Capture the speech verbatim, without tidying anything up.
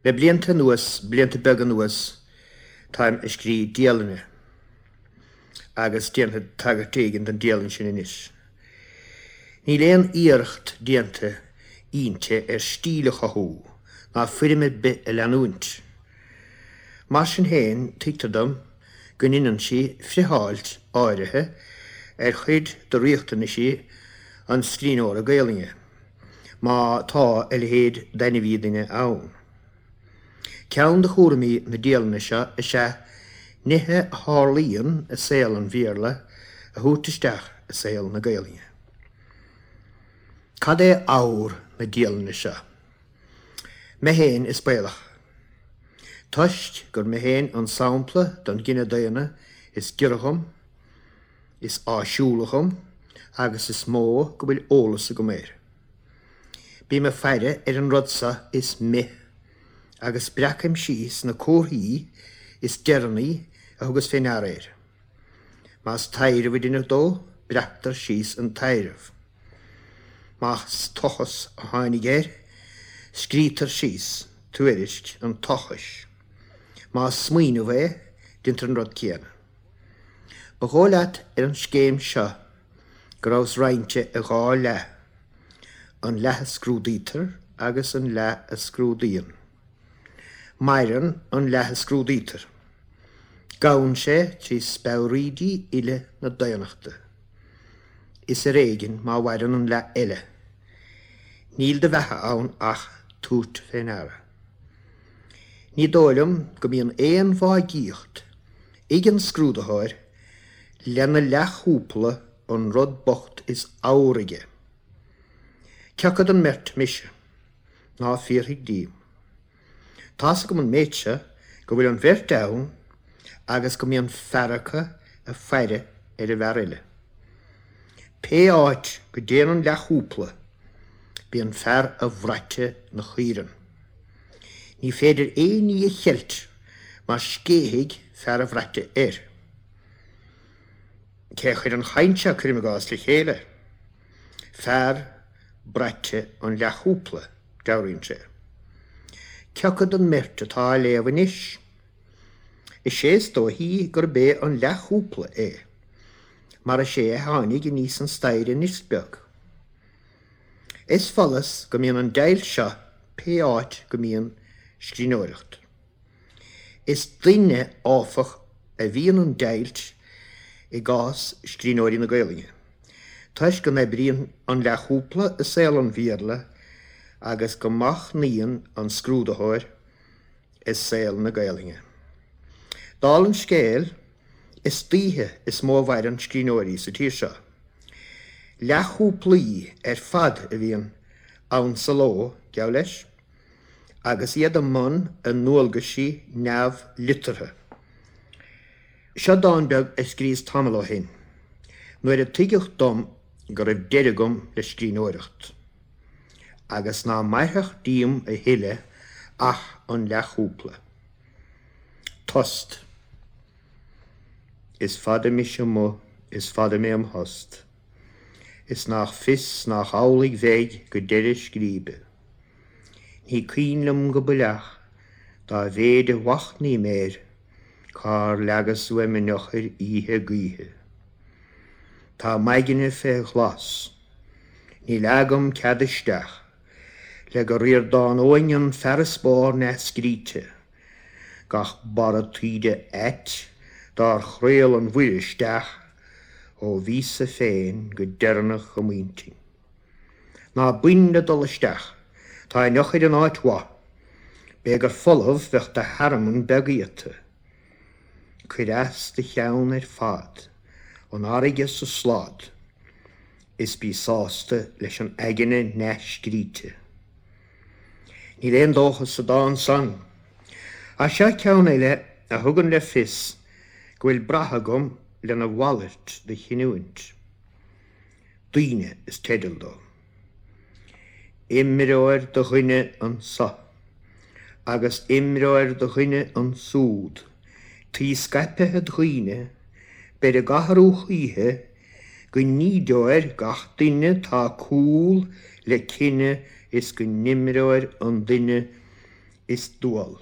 Le blianta anuas, blianta beaga anuas, táim ag scríobh dialainne agus déanfad tagairt éigin don dialann sin anois. Níl aon iarracht déanta inti ar stíl a chothú ná foirm ar bith a leanúint. Mar sin féin, tuigtear dom go ndéanann sí friotháilt áirithe ar chuid de riachtanaisí an scríbhneora Gaelainne, má tá a leithéid d'ainmhí duine ann. Ceann de chúraimí na dialainne seo is ea nithe a tharlaíonn i saol an Bhéarla a thabhairt isteach i saol na Gaelainne. Cad é ábhar na dialainne seo? Mé féin is baolach. Toisc gur mé féin an sampla don gcine daonna is giorra dhom, is áisiúla dhom agus is mó go bhfuil eolas agam air. Bím ag faire ar an rud seo is mith agus breacaim síos na comharthaí is deireanaí a thugas fé ndeara air. Más taidhreamh a deineadh dó, breactar síos an taidhreamh. Más tochas a tháinig air, scrítear síos tuairisc an tochais. Más smaoineamh é, déantar an rud céanna. Ba dhóigh leat ar an scéim seo go rabhas roinnte i dhá leath, an leath a scrúdaítear agus an leath a scrúdaíonn. Maireann an leath a scrúdaítear. Gabhann sé trí speabhraídí uile na daonnachta. Is ar éigean má mhaireann an leath eile. Níl de bheatha ann ach tabhairt fé ndeara. Ní dóigh liom go mbíonn aon mhaigíocht ag an scrúdaitheoir lena leathchúpla an rud bocht is ábhar aige. Cé acu den mbeirt mise? Ná fiafraigh díom. Tá's agam an méid seo go bhfuil an bheirt ann agus go mbíonn fear acu ag faire ar an bhfear eile. Pé áit go dtéann an leathchúpla, bíonn fear a bhraite 'na chaoireann. Ní féidir aon ní a cheilt mar scéithfidh fear a bhraite air. Cé a chuir an chaint seo, cuirim i gcás, le chéile? Fear braite an leathchúpla, dealraíonn sé. Cé acu den mbeirt atá á léamh anois? Is é is dóichí gurb é an leathchúpla é, mar is é a tháinig aníos an staighre anois beag. Is follas go mbíonn an deighilt seo pé áit go mbíonn scríbhneoireacht. Is doimhne, áfach, a bhíonn an deighilt i gcás scríbhneoirí na Gaelainne, toisc go n-oibríonn an leathchúpla i saol an Bhéarla agus go machnaíonn an scrúdaitheoir i saol na Gaelainne. Dála an scéil, is daoithe is mó a mhaireann scríbhneoirí sa tír seo. Leathchúplaí ar fad a bhíonn ann sa ló, geall leis, agus iad i mbun a ndualgaisí neamhliteartha. Seo dán beag a scríos tamall ó shin, nuair a tuigeadh dom go raibh deireadh agam le scríbhneoireacht, agus ná mairfeadh díom a thuilleadh ach an leathchúpla. Tost. Is fada mise amuigh, is fada mé im thost, is nach fios nach amhlaidh bheidh go deireadh scríbe. Ní cuimhin liom go baileach dá mhéid a mhachnaím air cár leagas uaim an eochair oíche gaoithe. Tá m'aigne fé ghlas, níl agam cead isteach le go ríordánóinn an farasbarr neamhscríte, gach barra taoide ait dár chraol an mhuir isteach ó bhíos-sa féin go deireanach i m'intinn. Ná bain le dul isteach, tá an eochair in áit mhaith, b'é gur folamh bheadh do thearmann beag iata. Cuir as do cheann ar fad, an fharraige sa slad, is bí sásta leis an aigne neamhscríte. Níl aon dóchas sa dán san. Ach seo ceann eile a thugann le fios go bhfuil brath agam lena mhalairt de chinniúint. Daoine is teideal dó. Imreoir de dhuine anso agus imreoir de dhuine ansúd, taoi scaipthe dhaoine, beir ag athrú choíche go n-ídeoir gach duine tá cúl le cine is go n-imreoir an duine is dual.